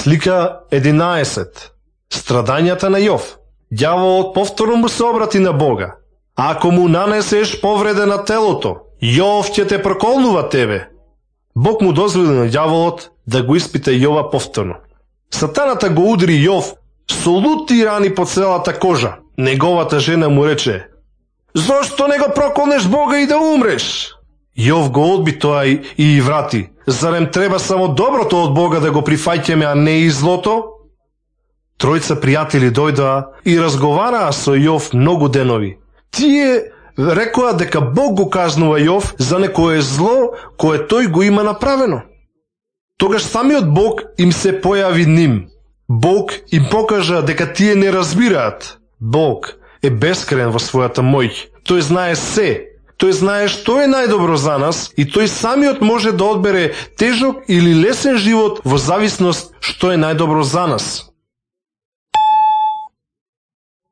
Слика 11. Страдањата на Јов. Ѓаволот повторно му се обрати на Бога. Ако му нанесеш повреда на телото, Јов ќе те проколнува тебе. Бог му дозволи на ѓаволот да го испита Јова повторно. Сатаната го удри Јов со лути рани по целата кожа. Неговата жена му рече: "Зошто не го проколнеш Бога и да умреш?" Јов го одби тоа и врати: "Зарем треба само доброто од Бога да го прифаќаме, а не и злото?" Тројца пријатели дојдоа и разговараа со Јов многу денови. Тие рекоа дека Бог го казнува Јов за некое зло кое тој го има направено. Тогаш самиот Бог им се појави ним. Бог им покажа дека тие не разбираат. Бог е бескраен во својата моќ. Тој знае се. Тој знае што е најдобро за нас и тој самиот може да одбере тежок или лесен живот во зависност што е најдобро за нас.